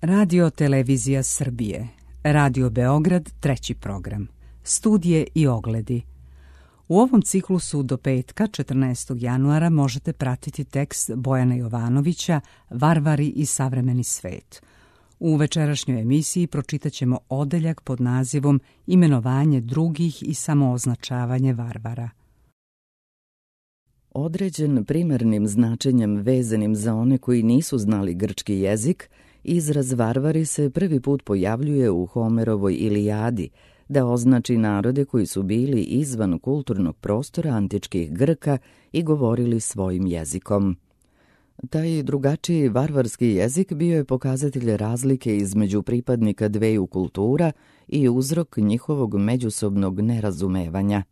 Radio Televizija Srbije, Radio Beograd, 3. program, studije i ogledi. U ovom ciklusu do petka, 14. januara, možete pratiti tekst Bojana Jovanovića Varvari i savremeni svet. U večerašnjoj emisiji pročitat ćemo odeljak pod nazivom Imenovanje drugih i samooznačavanje varvara. Određen primarnim značenjem vezanim za one koji nisu znali grčki jezik, izraz varvari se prvi put pojavljuje u Homerovoj Ilijadi, da označi narode koji su bili izvan kulturnog prostora antičkih Grka i govorili svojim jezikom. Taj drugačiji varvarski jezik bio je pokazatelj razlike između pripadnika dveju kultura i uzrok njihovog međusobnog nerazumevanja.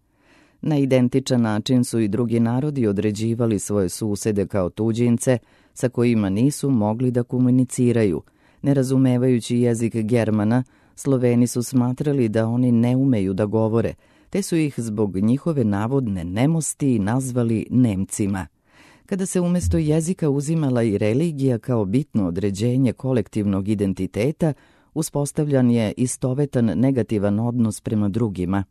Na identičan način su i drugi narodi određivali svoje susede kao tuđince sa kojima nisu mogli da komuniciraju. Nerazumevajući jezik Germana, Sloveni su smatrali da oni ne umeju da govore, te su ih zbog njihove navodne nemosti nazvali Nemcima. Kada se umjesto jezika uzimala i religija kao bitno određenje kolektivnog identiteta, uspostavljan je istovetan negativan odnos prema drugima.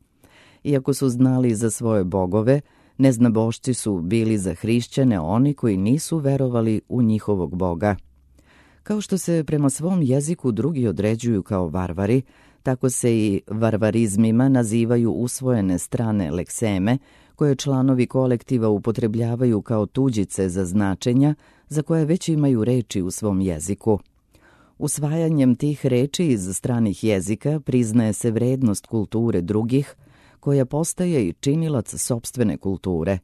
Iako su znali za svoje bogove, neznabošci su bili za hrišćane oni koji nisu verovali u njihovog boga. Kao što se prema svom jeziku drugi određuju kao varvari, tako se i varvarizmima nazivaju usvojene strane lekseme, koje članovi kolektiva upotrebljavaju kao tuđice za značenja za koje već imaju reči u svom jeziku. Usvajanjem tih reči iz stranih jezika priznaje se vrednost kulture drugih, koja postaje i činilac sopstvene kulture.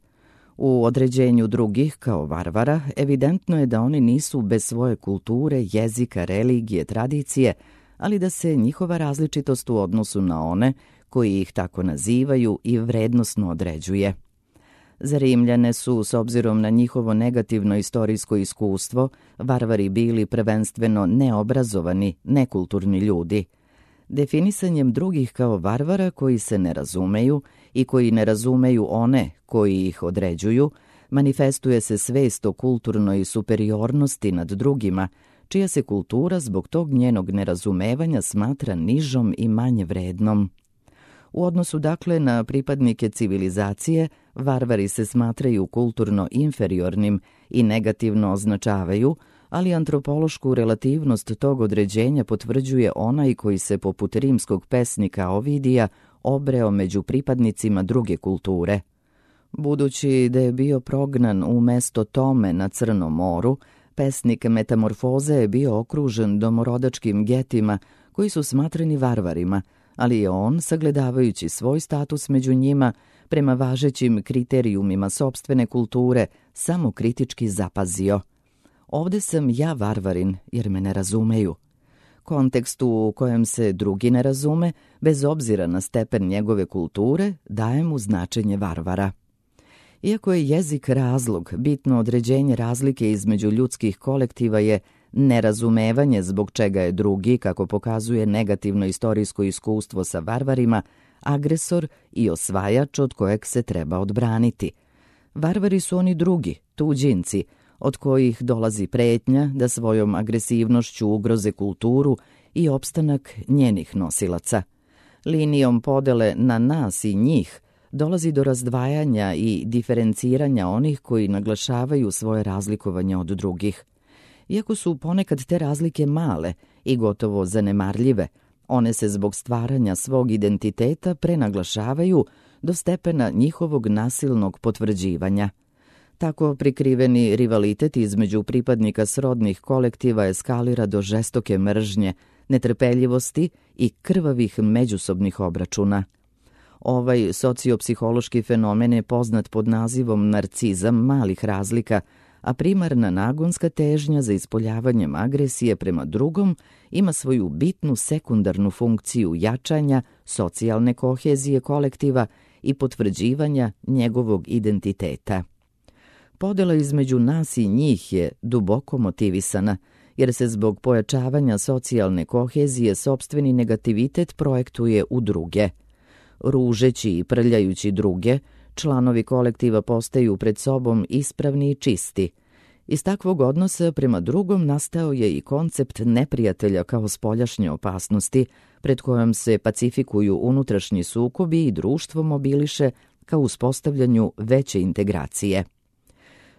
U određenju drugih kao varvara evidentno je da oni nisu bez svoje kulture, jezika, religije, tradicije, ali da se njihova različitost u odnosu na one koji ih tako nazivaju i vrednosno određuje. Za Rimljane su, s obzirom na njihovo negativno istorijsko iskustvo, varvari bili prvenstveno neobrazovani, nekulturni ljudi. Definisanjem drugih kao varvara koji se ne razumeju i koji ne razumeju one koji ih određuju, manifestuje se svest o kulturnoj superiornosti nad drugima, čija se kultura zbog tog njenog nerazumevanja smatra nižom i manje vrednom. U odnosu dakle na pripadnike civilizacije, varvari se smatraju kulturno inferiornim i negativno označavaju, ali antropološku relativnost tog određenja potvrđuje onaj koji se poput rimskog pesnika Ovidija obreo među pripadnicima druge kulture. Budući da je bio prognan u mesto Tome na Crnom moru, pesnik Metamorfoze je bio okružen domorodačkim getima koji su smatrani varvarima, ali je on, sagledavajući svoj status među njima, prema važećim kriterijumima sopstvene kulture, samo kritički zapazio: ovde sam ja varvarin jer me ne razumeju. Kontekstu u kojem se drugi ne razume, bez obzira na stepen njegove kulture, daje mu značenje varvara. Iako je jezik razlog, bitno određenje razlike između ljudskih kolektiva je nerazumevanje zbog čega je drugi, kako pokazuje negativno istorijsko iskustvo sa varvarima, agresor i osvajač od kojeg se treba odbraniti. Varvari su oni drugi, tuđinci, od kojih dolazi pretnja da svojom agresivnošću ugroze kulturu i opstanak njenih nosilaca. Linijom podele na nas i njih dolazi do razdvajanja i diferenciranja onih koji naglašavaju svoje razlikovanje od drugih. Iako su ponekad te razlike male i gotovo zanemarljive, one se zbog stvaranja svog identiteta prenaglašavaju do stepena njihovog nasilnog potvrđivanja. Tako prikriveni rivalitet između pripadnika srodnih kolektiva eskalira do žestoke mržnje, netrpeljivosti i krvavih međusobnih obračuna. Ovaj sociopsihološki fenomen je poznat pod nazivom narcizam malih razlika, a primarna nagonska težnja za ispoljavanjem agresije prema drugom ima svoju bitnu sekundarnu funkciju jačanja socijalne kohezije kolektiva i potvrđivanja njegovog identiteta. Podela između nas i njih je duboko motivisana, jer se zbog pojačavanja socijalne kohezije sopstveni negativitet projektuje u druge. Ružeći i prljajući druge, članovi kolektiva postaju pred sobom ispravni i čisti. Iz takvog odnosa prema drugom nastao je i koncept neprijatelja kao spoljašnje opasnosti, pred kojom se pacifikuju unutrašnji sukobi i društvo mobiliše ka uspostavljanju veće integracije.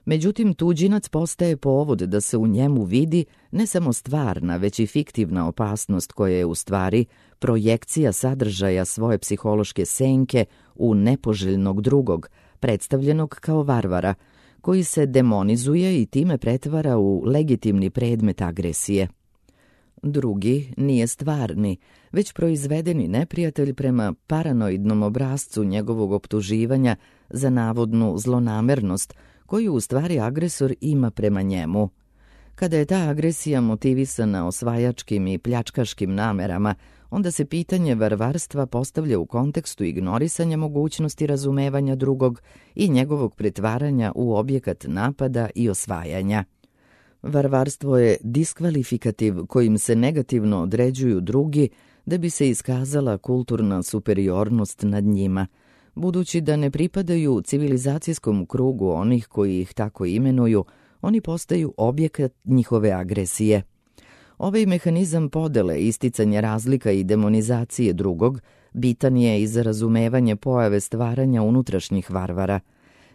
Međutim, tuđinac postaje povod da se u njemu vidi ne samo stvarna, već i fiktivna opasnost koja je u stvari projekcija sadržaja svoje psihološke senke u nepoželjnog drugog, predstavljenog kao varvara, koji se demonizuje i time pretvara u legitimni predmet agresije. Drugi nije stvarni, već proizvedeni neprijatelj prema paranoidnom obrascu njegovog optuživanja za navodnu zlonamernost, koju u stvari agresor ima prema njemu. Kada je ta agresija motivisana osvajačkim i pljačkaškim namerama, onda se pitanje varvarstva postavlja u kontekstu ignorisanja mogućnosti razumevanja drugog i njegovog pretvaranja u objekat napada i osvajanja. Varvarstvo je diskvalifikativ kojim se negativno određuju drugi da bi se iskazala kulturna superiornost nad njima, budući da ne pripadaju civilizacijskom krugu onih koji ih tako imenuju, oni postaju objekat njihove agresije. Ovaj mehanizam podele, isticanja razlika i demonizacije drugog bitan je i za razumevanje pojave stvaranja unutrašnjih varvara.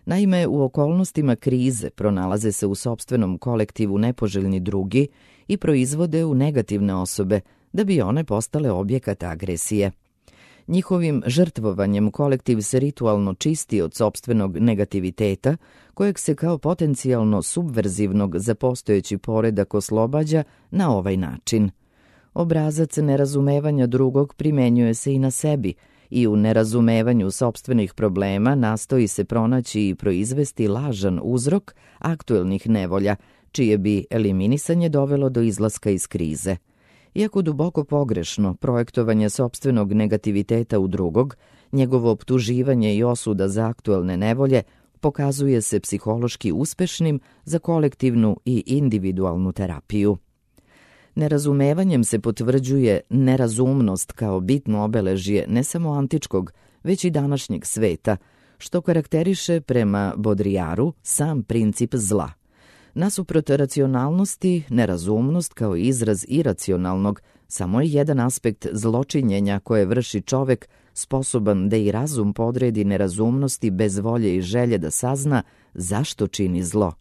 Naime, u okolnostima krize pronalaze se u sopstvenom kolektivu nepoželjni drugi i proizvode u negativne osobe, da bi one postale objekat agresije. Njihovim žrtvovanjem kolektiv se ritualno čisti od sopstvenog negativiteta, kojeg se kao potencijalno subverzivnog za postojeći poredak oslobađa na ovaj način. Obrazac nerazumevanja drugog primenjuje se i na sebi i u nerazumevanju sopstvenih problema nastoji se pronaći i proizvesti lažan uzrok aktuelnih nevolja, čije bi eliminisanje dovelo do izlaska iz krize. Iako duboko pogrešno projektovanje sopstvenog negativiteta u drugog, njegovo optuživanje i osuda za aktuelne nevolje pokazuje se psihološki uspešnim za kolektivnu i individualnu terapiju. Nerazumevanjem se potvrđuje nerazumnost kao bitno obeležje ne samo antičkog, već i današnjeg sveta, što karakteriše prema Baudrillardu sam princip zla. Nasuprot racionalnosti, nerazumnost kao izraz iracionalnog samo je jedan aspekt zločinjenja koje vrši čovek sposoban da i razum podredi nerazumnosti bez volje i želje da sazna zašto čini zlo.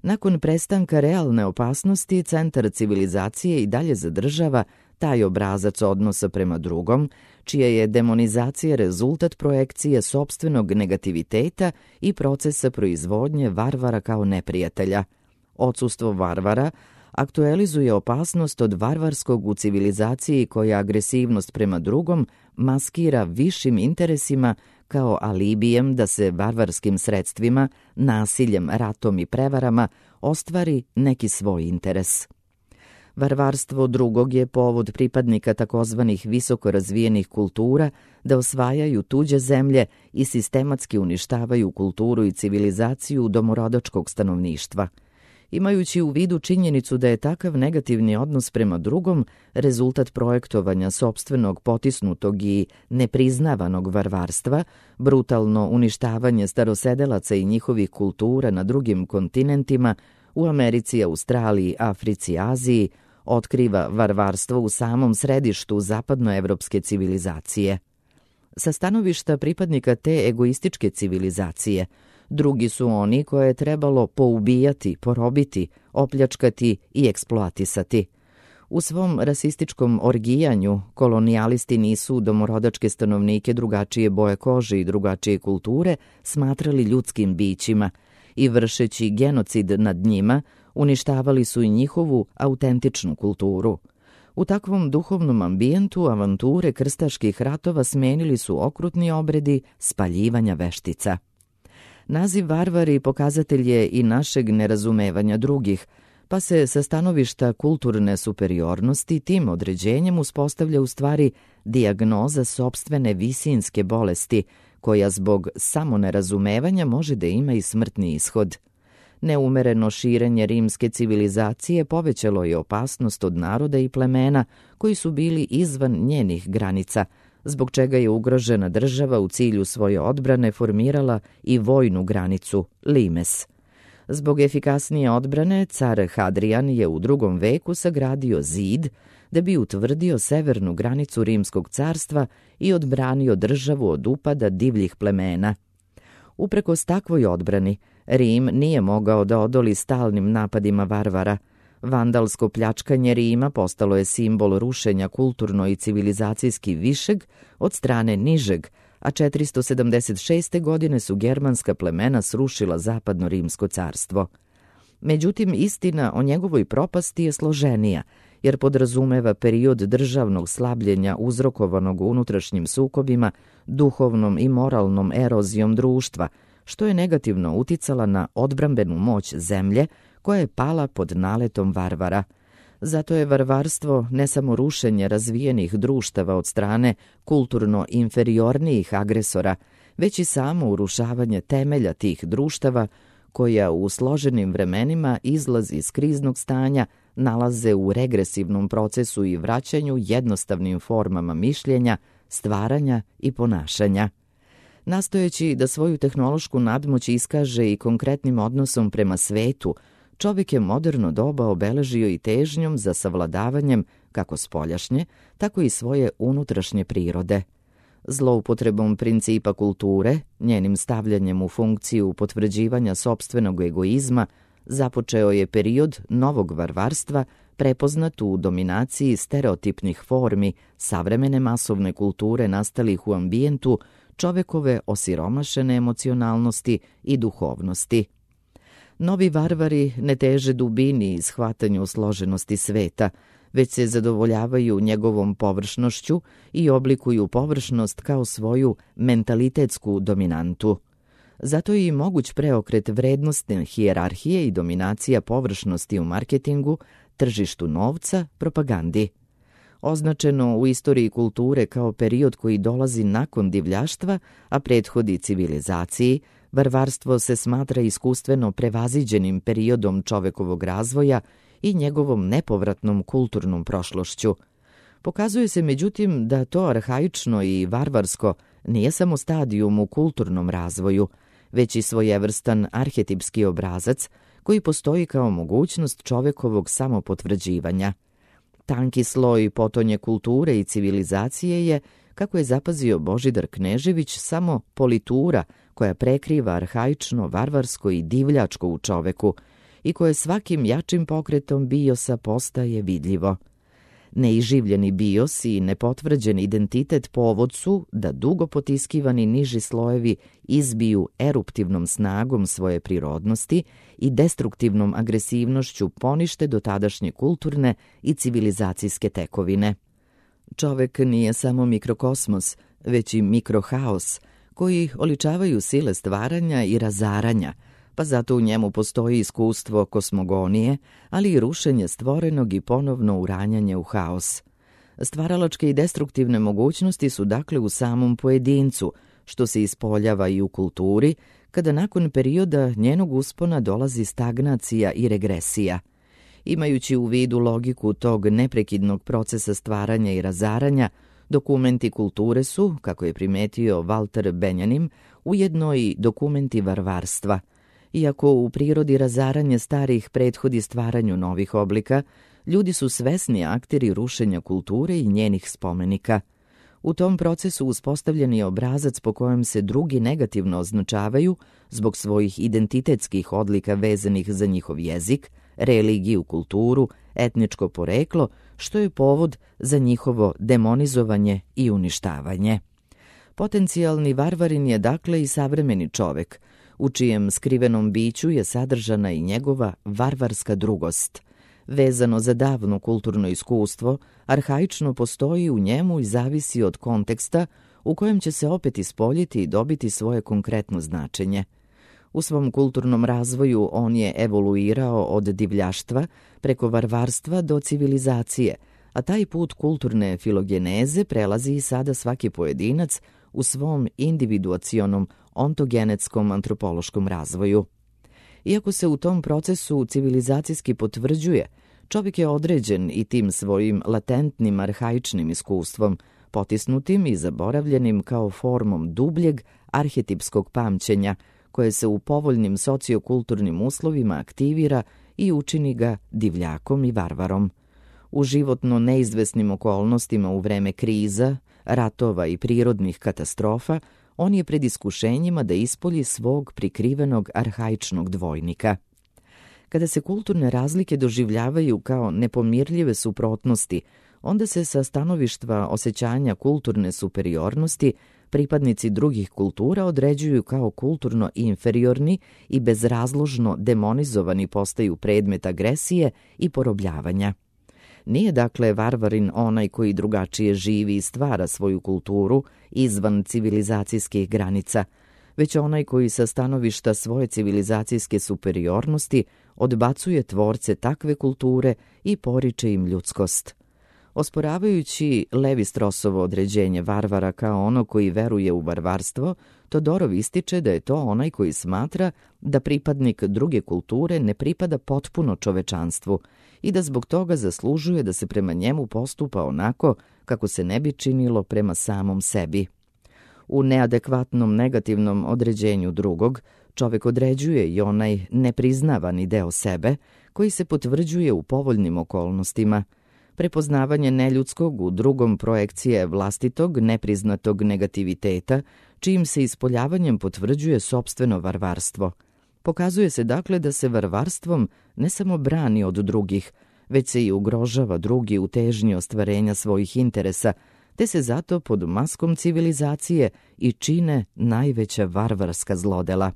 Nakon prestanka realne opasnosti, centar civilizacije i dalje zadržava taj obrazac odnosa prema drugom, čija je demonizacija rezultat projekcije sopstvenog negativiteta i procesa proizvodnje varvara kao neprijatelja. Odsustvo varvara aktualizuje opasnost od varvarskog u civilizaciji koja agresivnost prema drugom maskira višim interesima kao alibijem da se varvarskim sredstvima, nasiljem, ratom i prevarama ostvari neki svoj interes. Varvarstvo drugog je povod pripadnika takozvanih visoko razvijenih kultura da osvajaju tuđe zemlje i sistematski uništavaju kulturu i civilizaciju domorodačkog stanovništva. Imajući u vidu činjenicu da je takav negativni odnos prema drugom rezultat projektovanja sopstvenog potisnutog i nepriznavanog varvarstva, brutalno uništavanje starosedelaca i njihovih kultura na drugim kontinentima, u Americi, Australiji, Africi, Aziji, otkriva varvarstvo u samom središtu zapadnoevropske civilizacije. Sa stanovišta pripadnika te egoističke civilizacije, drugi su oni koje je trebalo poubijati, porobiti, opljačkati i eksploatisati. U svom rasističkom orgijanju kolonijalisti nisu domorodačke stanovnike drugačije boje kože i drugačije kulture smatrali ljudskim bićima i vršeći genocid nad njima uništavali su i njihovu autentičnu kulturu. U takvom duhovnom ambijentu avanture krstaških ratova smenili su okrutni obredi spaljivanja veštica. Naziv varvari pokazatelj je i našeg nerazumevanja drugih, pa se sa stanovišta kulturne superiornosti tim određenjem uspostavlja u stvari dijagnoza sopstvene visinske bolesti, koja zbog samonerazumevanja može da ima i smrtni ishod. Neumereno širenje rimske civilizacije povećalo je opasnost od naroda i plemena koji su bili izvan njenih granica, zbog čega je ugrožena država u cilju svoje odbrane formirala i vojnu granicu, limes. Zbog efikasnije odbrane, car Hadrian je u 2. veku sagradio zid da bi utvrdio severnu granicu Rimskog carstva i odbranio državu od upada divljih plemena. Uprkos takvoj odbrani, Rim nije mogao da odoli stalnim napadima varvara. Vandalsko pljačkanje Rima postalo je simbol rušenja kulturno i civilizacijski višeg od strane nižeg, a 476. godine su germanska plemena srušila zapadno Rimsko carstvo. Međutim, istina o njegovoj propasti je složenija, jer podrazumeva period državnog slabljenja uzrokovanog unutrašnjim sukobima, duhovnom i moralnom erozijom društva, što je negativno uticala na odbrambenu moć zemlje koja je pala pod naletom varvara. Zato je varvarstvo ne samo rušenje razvijenih društava od strane kulturno inferiornijih agresora, već i samo urušavanje temelja tih društava koja u složenim vremenima izlaz iz kriznog stanja nalaze u regresivnom procesu i vraćanju jednostavnim formama mišljenja, stvaranja i ponašanja. Nastojeći da svoju tehnološku nadmoć iskaže i konkretnim odnosom prema svetu, čovjek je moderno doba obeležio i težnjom za savladavanjem kako spoljašnje, tako i svoje unutrašnje prirode. Zloupotrebom principa kulture, njenim stavljanjem u funkciju potvrđivanja sopstvenog egoizma, započeo je period novog varvarstva prepoznat u dominaciji stereotipnih formi savremene masovne kulture nastalih u ambijentu čovekove osiromašene emocionalnosti i duhovnosti. Novi varvari ne teže dubini i shvatanju složenosti sveta, već se zadovoljavaju njegovom površnošću i oblikuju površnost kao svoju mentalitetsku dominantu. Zato je i moguć preokret vrednostne hijerarhije i dominacija površnosti u marketingu, tržištu novca, propagandi. Označeno u istoriji kulture kao period koji dolazi nakon divljaštva, a prethodi civilizaciji, varvarstvo se smatra iskustveno prevaziđenim periodom čovekovog razvoja i njegovom nepovratnom kulturnom prošlošću. Pokazuje se međutim da to arhaično i varvarsko nije samo stadijum u kulturnom razvoju, već i svojevrstan arhetipski obrazac koji postoji kao mogućnost čovekovog samopotvrđivanja. Tanki sloj potonje kulture i civilizacije je, kako je zapazio Božidar Knežević, samo politura koja prekriva arhaično, varvarsko i divljačko u čoveku i koje svakim jačim pokretom biosa postaje vidljivo. Neiživljeni bios i nepotvrđen identitet povod su da dugo potiskivani niži slojevi izbiju eruptivnom snagom svoje prirodnosti i destruktivnom agresivnošću ponište dotadašnje kulturne i civilizacijske tekovine. Čovek nije samo mikrokosmos, već i mikrohaos, koji oličavaju sile stvaranja i razaranja, pa zato u njemu postoji iskustvo kosmogonije, ali i rušenje stvorenog i ponovno uranjanje u haos. Stvaralačke i destruktivne mogućnosti su dakle u samom pojedincu, što se ispoljava i u kulturi, kada nakon perioda njenog uspona dolazi stagnacija i regresija. Imajući u vidu logiku tog neprekidnog procesa stvaranja i razaranja, dokumenti kulture su, kako je primetio Walter Benjamin, ujedno i dokumenti varvarstva. Iako u prirodi razaranje starih prethodi stvaranju novih oblika, ljudi su svesni akteri rušenja kulture i njenih spomenika. U tom procesu uspostavljen je obrazac po kojem se drugi negativno označavaju zbog svojih identitetskih odlika vezanih za njihov jezik, religiju, kulturu, etničko poreklo, što je povod za njihovo demonizovanje i uništavanje. Potencijalni varvarin je dakle i savremeni čovek, u čijem skrivenom biću je sadržana i njegova varvarska drugost. Vezano za davno kulturno iskustvo, arhaično postoji u njemu i zavisi od konteksta u kojem će se opet ispoljiti i dobiti svoje konkretno značenje. U svom kulturnom razvoju on je evoluirao od divljaštva preko varvarstva do civilizacije, a taj put kulturne filogeneze prelazi i sada svaki pojedinac u svom individuacionom ontogenetskom antropološkom razvoju. Iako se u tom procesu civilizacijski potvrđuje, čovjek je određen i tim svojim latentnim arhaičnim iskustvom, potisnutim i zaboravljenim kao formom dubljeg arhetipskog pamćenja, koje se u povoljnim sociokulturnim uslovima aktivira i učini ga divljakom i varvarom. U životno neizvesnim okolnostima u vreme kriza, ratova i prirodnih katastrofa, on je pred iskušenjima da ispolji svog prikrivenog arhaičnog dvojnika. Kada se kulturne razlike doživljavaju kao nepomirljive suprotnosti, onda se sa stanovišta osjećanja kulturne superiornosti pripadnici drugih kultura određuju kao kulturno inferiorni i bezrazložno demonizovani postaju predmet agresije i porobljavanja. Nije dakle varvarin onaj koji drugačije živi i stvara svoju kulturu izvan civilizacijskih granica, već onaj koji sa stanovišta svoje civilizacijske superiornosti odbacuje tvorce takve kulture i poriče im ljudskost. Osporavajući Levi-Strossovo određenje varvara kao ono koji veruje u varvarstvo, Todorov ističe da je to onaj koji smatra da pripadnik druge kulture ne pripada potpuno čovečanstvu i da zbog toga zaslužuje da se prema njemu postupa onako kako se ne bi činilo prema samom sebi. U neadekvatnom negativnom određenju drugog, čovek određuje i onaj nepriznavani deo sebe koji se potvrđuje u povoljnim okolnostima. Prepoznavanje neljudskog u drugom projekcije vlastitog nepriznatog negativiteta, čijim se ispoljavanjem potvrđuje sopstveno varvarstvo. Pokazuje se dakle da se varvarstvom ne samo brani od drugih, već se i ugrožava drugi u težnji ostvarenja svojih interesa, te se zato pod maskom civilizacije i čine najveća varvarska zlodela.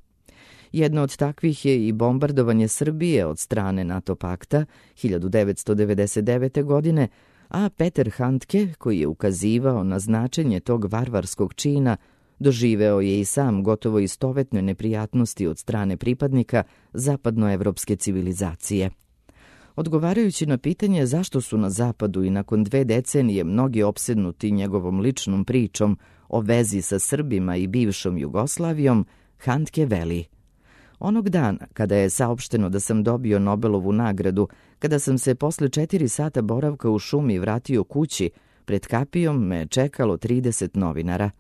Jedno od takvih je i bombardovanje Srbije od strane NATO pakta 1999. godine, a Peter Handke, koji je ukazivao na značenje tog varvarskog čina, doživeo je i sam gotovo istovetne neprijatnosti od strane pripadnika zapadnoevropske civilizacije. Odgovarajući na pitanje zašto su na zapadu i nakon 2 decenije mnogi opsednuti njegovom ličnom pričom o vezi sa Srbima i bivšom Jugoslavijom, Handke veli: Onog dana, kada je saopšteno da sam dobio Nobelovu nagradu, kada sam se posle 4 sata boravka u šumi vratio kući, pred kapijom me čekalo 30 novinara.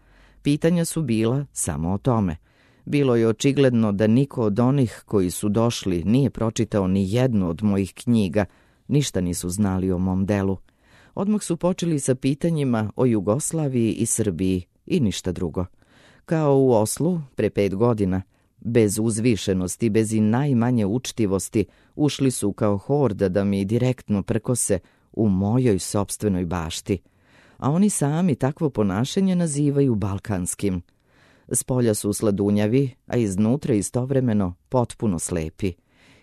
Pitanja su bila samo o tome. Bilo je očigledno da niko od onih koji su došli nije pročitao ni jednu od mojih knjiga, ništa nisu znali o mom delu. Odmah su počeli sa pitanjima o Jugoslaviji i Srbiji i ništa drugo. Kao u Oslu, pre 5 godina, bez uzvišenosti, bez i najmanje učtivosti, ušli su kao horda da mi direktno prkose u mojoj sopstvenoj bašti. A oni sami takvo ponašanje nazivaju balkanskim. Spolja su sladunjavi, a iznutra istovremeno potpuno slepi.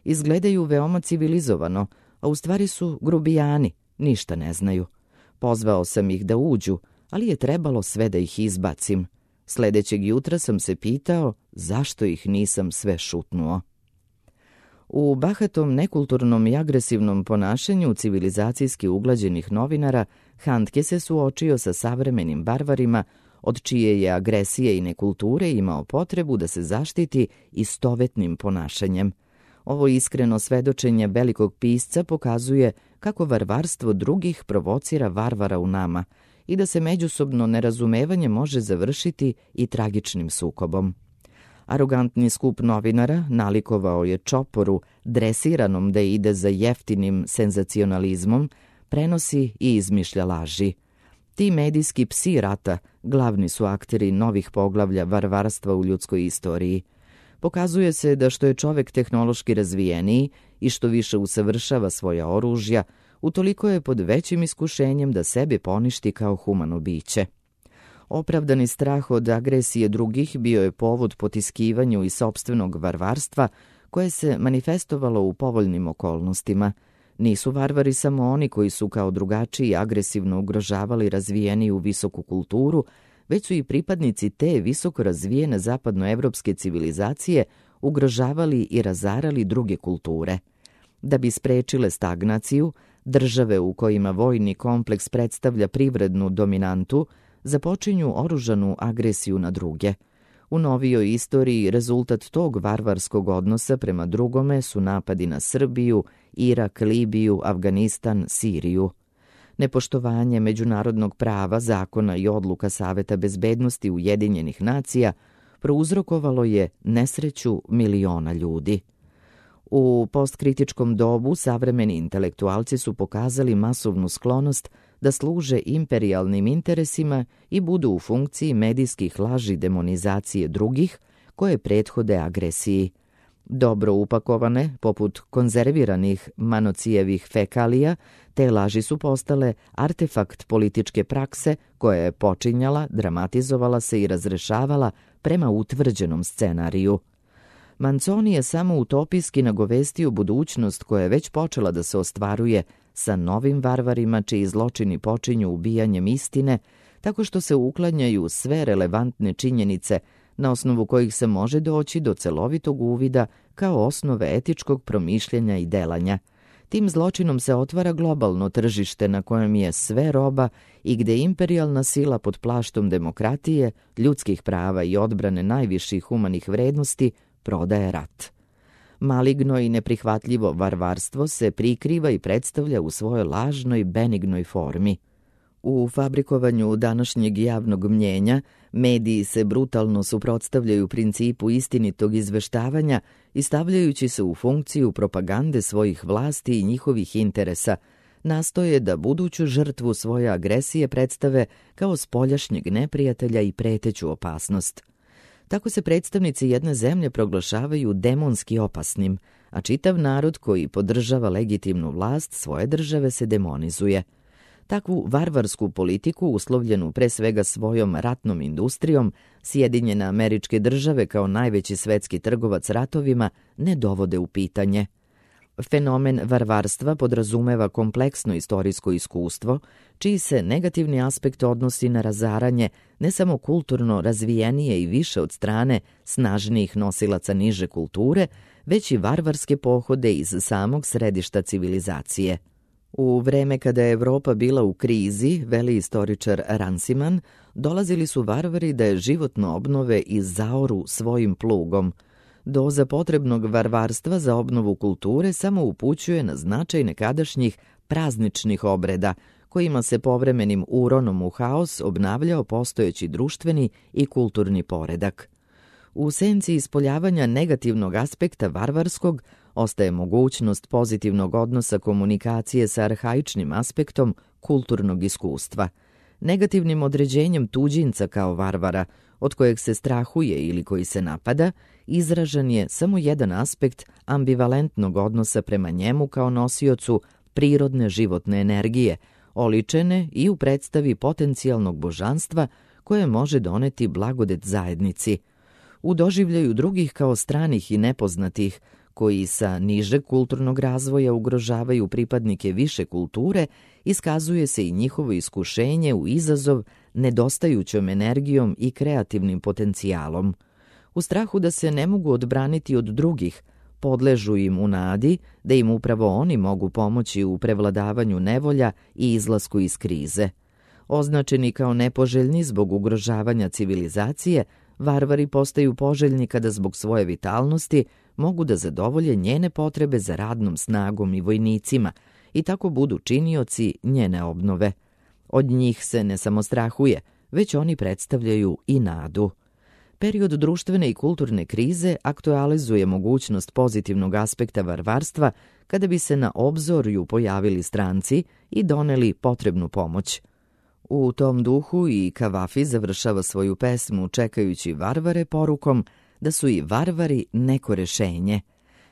Izgledaju veoma civilizovano, a u stvari su grubijani, ništa ne znaju. Pozvao sam ih da uđu, ali je trebalo sve da ih izbacim. Sledećeg jutra sam se pitao zašto ih nisam sve šutnuo. U bahatom, nekulturnom i agresivnom ponašanju civilizacijski uglađenih novinara, Handke se suočio sa savremenim barvarima, od čije je agresije i nekulture imao potrebu da se zaštiti istovetnim ponašanjem. Ovo iskreno svedočenje velikog pisca pokazuje kako varvarstvo drugih provocira varvara u nama i da se međusobno nerazumevanje može završiti i tragičnim sukobom. Arogantni skup novinara nalikovao je čoporu, dresiranom da ide za jeftinim senzacionalizmom, prenosi i izmišlja laži. Ti medijski psi rata glavni su akteri novih poglavlja varvarstva u ljudskoj istoriji. Pokazuje se da što je čovek tehnološki razvijeniji i što više usavršava svoja oružja, utoliko je pod većim iskušenjem da sebe poništi kao humano biće. Opravdani strah od agresije drugih bio je povod potiskivanju i sopstvenog varvarstva koje se manifestovalo u povoljnim okolnostima. Nisu varvari samo oni koji su kao drugačiji agresivno ugrožavali razvijeniju visoku kulturu, već su i pripadnici te visoko razvijene zapadnoevropske civilizacije ugrožavali i razarali druge kulture. Da bi sprečile stagnaciju, države u kojima vojni kompleks predstavlja privrednu dominantu započinju oružanu agresiju na druge. U novijoj istoriji rezultat tog varvarskog odnosa prema drugome su napadi na Srbiju, Irak, Libiju, Afganistan, Siriju. Nepoštovanje međunarodnog prava, zakona i odluka Saveta bezbednosti Ujedinjenih nacija prouzrokovalo je nesreću miliona ljudi. U postkritičkom dobu savremeni intelektualci su pokazali masovnu sklonost da služe imperijalnim interesima i budu u funkciji medijskih laži demonizacije drugih koje prethode agresiji. Dobro upakovane, poput konzerviranih Manocijevih fekalija, te laži su postale artefakt političke prakse koja je počinjala, dramatizovala se i razrešavala prema utvrđenom scenariju. Manzoni je samo utopijski nagovestio budućnost koja je već počela da se ostvaruje sa novim varvarima čiji zločini počinju ubijanjem istine, tako što se uklanjaju sve relevantne činjenice na osnovu kojih se može doći do celovitog uvida kao osnove etičkog promišljanja i delanja. Tim zločinom se otvara globalno tržište na kojem je sve roba i gde imperijalna sila pod plaštom demokratije, ljudskih prava i odbrane najviših humanih vrednosti prodaje rat. Maligno i neprihvatljivo varvarstvo se prikriva i predstavlja u svojoj lažnoj, benignoj formi. U fabrikovanju današnjeg javnog mnjenja mediji se brutalno suprotstavljaju principu istinitog izveštavanja i stavljajući se u funkciju propagande svojih vlasti i njihovih interesa, nastoje da buduću žrtvu svoje agresije predstave kao spoljašnjeg neprijatelja i preteću opasnost. Tako se predstavnici jedne zemlje proglašavaju demonski opasnim, a čitav narod koji podržava legitimnu vlast svoje države se demonizuje. Takvu varvarsku politiku, uslovljenu pre svega svojom ratnom industrijom, Sjedinjene Američke Države kao najveći svetski trgovac ratovima ne dovode u pitanje. Fenomen varvarstva podrazumeva kompleksno istorijsko iskustvo, čiji se negativni aspekt odnosi na razaranje ne samo kulturno razvijenije i više od strane snažnijih nosilaca niže kulture, već i varvarske pohode iz samog središta civilizacije. U vreme kada je Evropa bila u krizi, veli istoričar Ranciman, dolazili su varvari da je životno obnove i zaoru svojim plugom. Doza potrebnog varvarstva za obnovu kulture samo upućuje na značaj nekadašnjih prazničnih obreda, kojima se povremenim uronom u haos obnavljao postojeći društveni i kulturni poredak. U senci ispoljavanja negativnog aspekta varvarskog ostaje mogućnost pozitivnog odnosa komunikacije sa arhaičnim aspektom kulturnog iskustva. Negativnim određenjem tuđinca kao varvara, od kojeg se strahuje ili koji se napada, izražen je samo jedan aspekt ambivalentnog odnosa prema njemu kao nosiocu prirodne životne energije, oličene i u predstavi potencijalnog božanstva koje može doneti blagodet zajednici. U doživljaju drugih kao stranih i nepoznatih, koji sa nižeg kulturnog razvoja ugrožavaju pripadnike više kulture, iskazuje se i njihovo iskušenje u izazov nedostajućom energijom i kreativnim potencijalom. U strahu da se ne mogu odbraniti od drugih, podležu im u nadi da im upravo oni mogu pomoći u prevladavanju nevolja i izlasku iz krize. Označeni kao nepoželjni zbog ugrožavanja civilizacije, varvari postaju poželjni kada zbog svoje vitalnosti mogu da zadovolje njene potrebe za radnom snagom i vojnicima i tako budu činioci njene obnove. Od njih se ne samo strahuje, već oni predstavljaju i nadu. Period društvene i kulturne krize aktualizuje mogućnost pozitivnog aspekta varvarstva kada bi se na obzorju pojavili stranci i doneli potrebnu pomoć. U tom duhu i Kavafi završava svoju pesmu čekajući varvare porukom da su i varvari neko rešenje.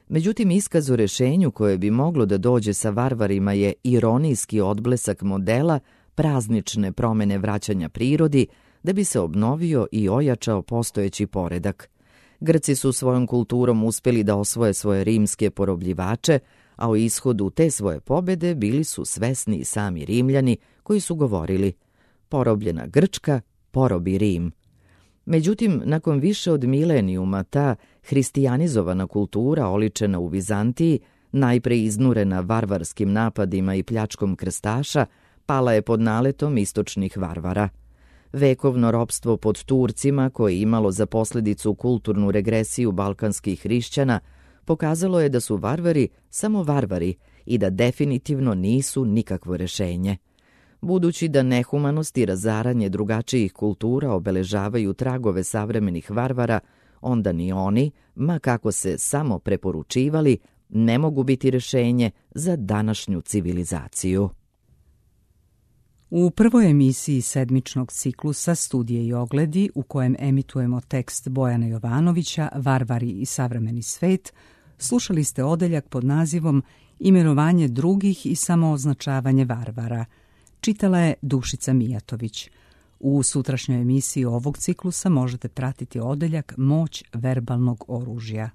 Međutim, iskaz o rešenju koje bi moglo da dođe sa varvarima je ironijski odblesak modela praznične promene vraćanja prirodi da bi se obnovio i ojačao postojeći poredak. Grci su svojom kulturom uspeli da osvoje svoje rimske porobljivače, a o ishodu te svoje pobede bili su svesni i sami Rimljani koji su govorili porobljena Grčka, porobi Rim. Međutim, nakon više od milenijuma ta hristijanizovana kultura oličena u Vizantiji, najpre iznurena varvarskim napadima i pljačkom krstaša, pala je pod naletom istočnih varvara. Vekovno ropstvo pod Turcima, koje je imalo za posledicu kulturnu regresiju balkanskih hrišćana, pokazalo je da su varvari samo varvari i da definitivno nisu nikakvo rešenje. Budući da nehumanost i razaranje drugačijih kultura obeležavaju tragove savremenih varvara, onda ni oni, ma kako se samo preporučivali, ne mogu biti rješenje za današnju civilizaciju. U prvoj emisiji sedmičnog ciklusa Studije i ogledi, u kojem emitujemo tekst Bojana Jovanovića Varvari i savremeni svet, slušali ste odeljak pod nazivom Imenovanje drugih i samooznačavanje varvara. Čitala je Dušica Mijatović. U sutrašnjoj emisiji ovog ciklusa možete pratiti odeljak Moć verbalnog oružja.